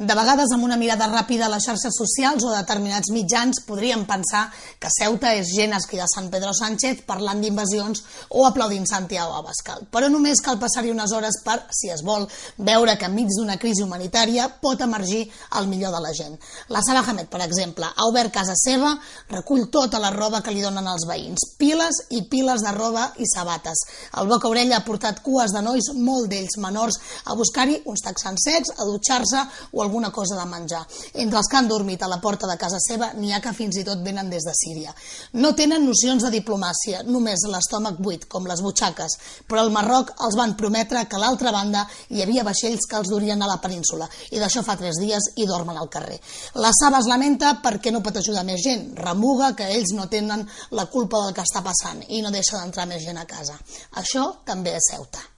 De vegades, amb una mirada ràpida a les xarxes socials o determinats mitjans, podríem pensar que Ceuta és gent esquida Sant Pedro Sánchez parlant d'invasions o aplaudint Santiago Abascal. Però només cal passar-hi unes hores per, si es vol, veure que enmig d'una crisi humanitària pot emergir el millor de la gent. La Sara Hamed, per exemple, ha obert casa seva, recull tota la roba que li donen els veïns, piles i piles de roba i sabates. El Boca Orella ha portat cues de nois, molt d'ells menors, a buscar-hi uns texans secs, a dutxar-se o alguna cosa de menjar. Entre els que han dormit a la porta de casa seva n'hi ha que fins i tot venen des de Síria. No tenen nocions de diplomàcia, només l'estómac buit, com les butxaques, però al Marroc els van prometre que a l'altra banda hi havia vaixells que els durien a la península, i d'això fa 3 dies i dormen al carrer. La Saba es lamenta perquè no pot ajudar més gent, remuga que ells no tenen la culpa del que està passant i no deixa d'entrar més gent a casa. Això també és Ceuta.